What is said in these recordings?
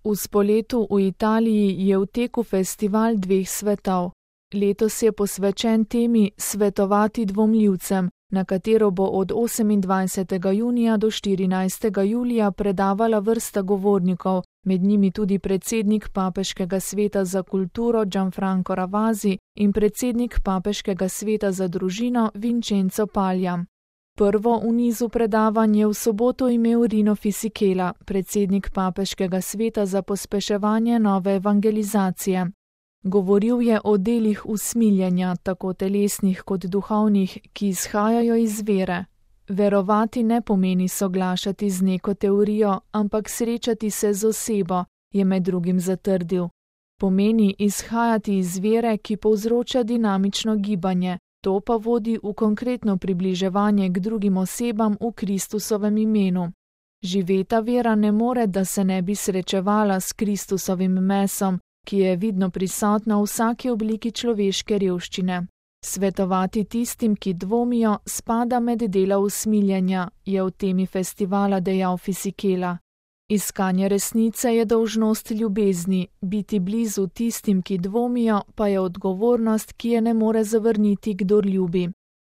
V Spoletu v Italiji je v teku festival dveh svetov. Letos je posvečen temi Svetovati dvomljivcem, na katero bo od 28. junija do 14. julija predavala vrsta govornikov, med njimi tudi predsednik Papeškega sveta za kulturo Gianfranco Ravasi in predsednik Papeškega sveta za družino Vincenzo Paglia. Prvo v nizu predavanj je v soboto imel Rino Fisichella, predsednik Papeškega sveta za pospeševanje nove evangelizacije. Govoril je o delih usmiljenja, tako telesnih kot duhovnih, ki izhajajo iz vere. Verovati ne pomeni soglašati z neko teorijo, ampak srečati se z osebo, je med drugim zatrdil. Pomeni izhajati iz vere, ki povzroča dinamično gibanje, to pa vodi v konkretno približevanje k drugim osebam v Kristusovem imenu. Živeta vera ne more, da se ne bi srečevala s Kristusovim mesom, ki je vidno prisotna v vsaki obliki človeške revščine. Svetovati tistim, ki dvomijo, spada med dela usmiljenja, je v temi festivala dejal Fisichella. Iskanje resnice je dolžnost ljubezni, biti blizu tistim, ki dvomijo, pa je odgovornost, ki je ne more zavrniti, kdor ljubi.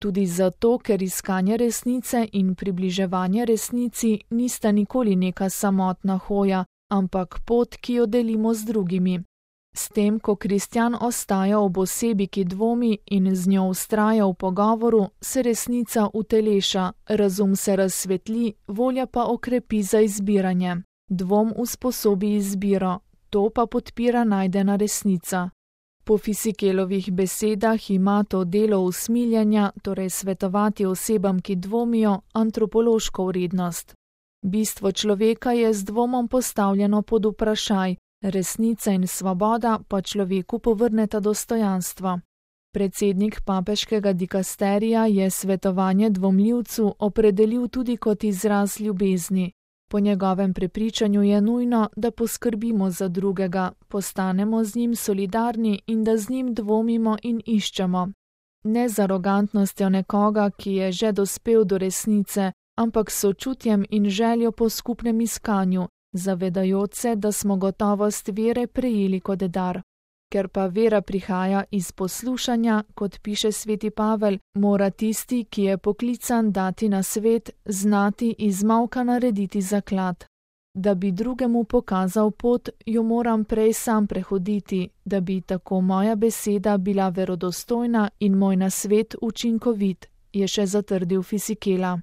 Tudi zato, ker iskanje resnice in približevanje resnici nista nikoli neka samotna hoja, ampak pot, ki jo delimo z drugimi. S tem, ko kristjan ostaja ob osebi, ki dvomi in z njo vztraja v pogovoru, se resnica uteleša, razum se razsvetli, volja pa okrepi za izbiranje. Dvom usposobi izbiro, to pa podpira najdena resnica. Po Fisichellovih besedah ima to delo usmiljenja, torej svetovati osebam, ki dvomijo, antropološko vrednost. Bistvo človeka je z dvomom postavljeno pod vprašaj, resnica in svoboda pa človeku povrneta dostojanstvo. Predsednik papeškega dikasterija je svetovanje dvomljivcu opredelil tudi kot izraz ljubezni. Po njegovem prepričanju je nujno, da poskrbimo za drugega, postanemo z njim solidarni in da z njim dvomimo in iščemo. Ne z arogantnostjo nekoga, ki je že dospel do resnice, ampak s sočutjem in željo po skupnem iskanju, zavedajoč se, da smo gotovost vere prejeli kot dar. Ker pa vera prihaja iz poslušanja, kot piše sveti Pavel, mora tisti, ki je poklican dati na svet, znati iz molka narediti zaklad. Da bi drugemu pokazal pot, jo moram prej sam prehoditi, da bi tako moja beseda bila verodostojna in moj nasvet učinkovit, je še zatrdil Fisichella.